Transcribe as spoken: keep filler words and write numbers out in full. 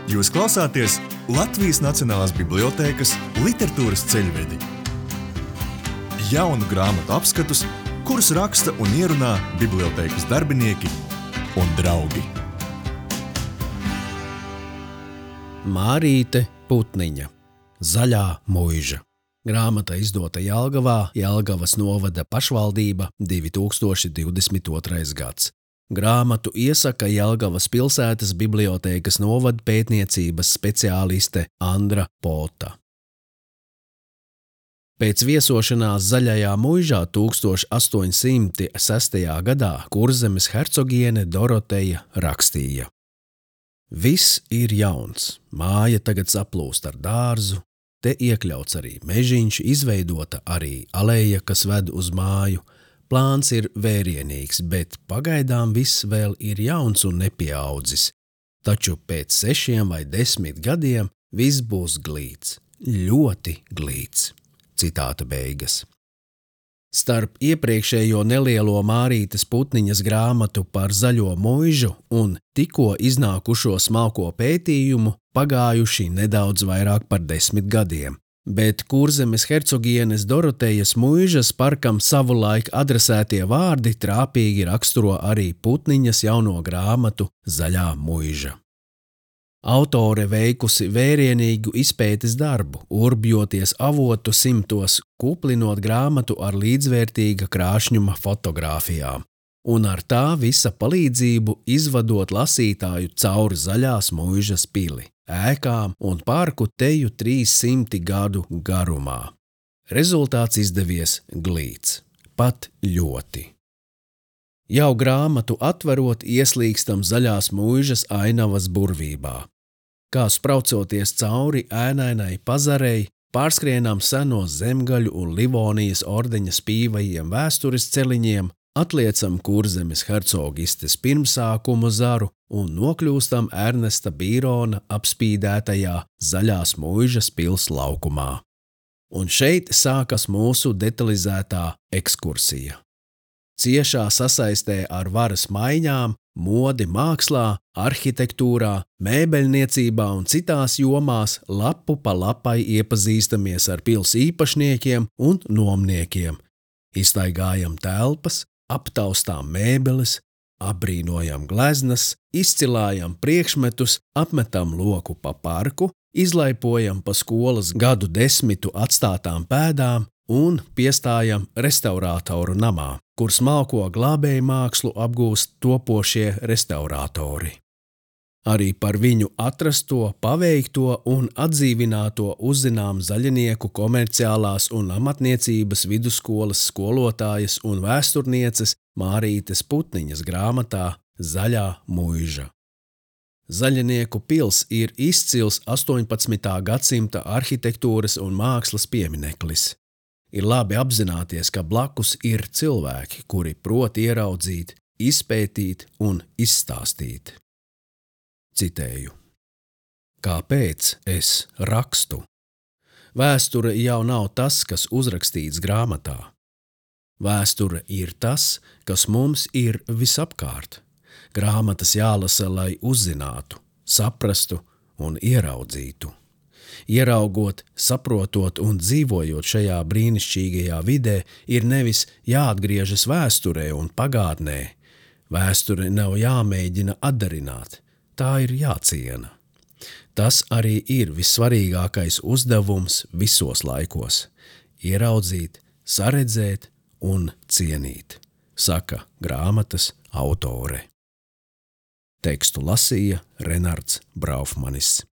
Jūs klausāties Latvijas Nacionālās bibliotēkas literatūras ceļvedi. Jaunu grāmatu apskatus, kurus raksta un ierunā bibliotēkas darbinieki un draugi. Mārīte Putniņa, Zaļā muiža. Grāmata izdota Jelgavā, Jelgavas novada pašvaldība, divi tūkstoši divdesmit otrais gads. Grāmatu iesaka Jelgavas pilsētas bibliotēkas novada pētniecības speciāliste Andra Pota. Pēc viesošanās Zaļajā muižā tūkstoš astoņi simti sestajā gadā Kurzemes hercogiene Doroteja rakstīja: Viss ir jauns, māja tagad saplūst ar dārzu, te iekļauts arī mežiņš, izveidota arī aleja, kas ved uz māju. Plāns ir vērienīgs, bet pagaidām viss vēl ir jauns un nepieaudzis. Taču pēc sešiem vai desmit gadiem viss būs glīts, ļoti glīts. Citāta beigas. Starp iepriekšējo nelielo Mārītes Putniņas grāmatu par Zaļo muižu un tikko iznākušo smalko pētījumu pagājuši nedaudz vairāk par desmit gadiem. Bet Kurzemes hercogienes Dorotejas muižas parkam savulaik adresētie vārdi trāpīgi raksturo arī Putniņas jauno grāmatu Zaļā muiža. Autore veikusi vērienīgu izpētes darbu, urbjoties avotu simtos, kuplinot grāmatu ar līdzvērtīga krāšņuma fotogrāfijām, un ar tā visa palīdzību izvadot lasītāju cauri Zaļās muižas pili, ēkām un parku teju trīssimti gadu garumā. Rezultāts izdevies glīts, pat ļoti. Jau grāmatu atverot ieslīgstam Zaļās muižas ainavas burvībā. Kā spraucoties cauri ēnainai pazarei, pārskrienām senos Zemgaļu un Livonijas ordeņa spīvajiem vēstures celiņiem, atliecam Kurzemes hercogistes pirmsākumu zaru un nokļūstam Ernesta Bīrona apspīdētajā Zaļās muižas pils laukumā. Un šeit sākas mūsu detalizētā ekskursija. Ciešā sasaistē ar varas maiņām, modi mākslā, arhitektūrā, mēbeļniecībā un citās jomās lapu pa lapai iepazīstamies ar pils īpašniekiem un nomniekiem. Iztaigājam telpas, aptaustām mēbeles, apbrīnojam gleznas, izcilājam priekšmetus, apmetam loku pa parku, izlaipojam pa skolas gadu desmitu atstātām pēdām un piestājam restaurātoru namā, kur smalko glābēju mākslu apgūst topošie restaurātori. Arī par viņu atrasto, paveikto un atdzīvināto uzzinām zaļinieku komerciālās un amatniecības vidusskolas skolotājas un vēsturnieces Mārītes Putniņas grāmatā Zaļā muiža. Zaļinieku pils ir izcils astoņpadsmitā gadsimta arhitektūras un mākslas piemineklis. Ir labi apzināties, ka blakus ir cilvēki, kuri prot ieraudzīt, izpētīt un izstāstīt. Citēju. Kāpēc es rakstu? Vēsture jau nav tas, kas uzrakstīts grāmatā. Vēsture ir tas, kas mums ir visapkārt. Grāmatas jālasa, lai uzzinātu, saprastu un ieraudzītu. Ieraugot, saprotot un dzīvojot šajā brīnišķīgajā vidē, ir nevis jāatgriežas vēsturē un pagātnē. Vēsture nav jāmēģina atdarināt, tā ir jāciena. Tas arī ir vissvarīgākais uzdevums visos laikos – ieraudzīt, saredzēt un cienīt, saka grāmatas autore. Tekstu lasīja Renards Braufmanis.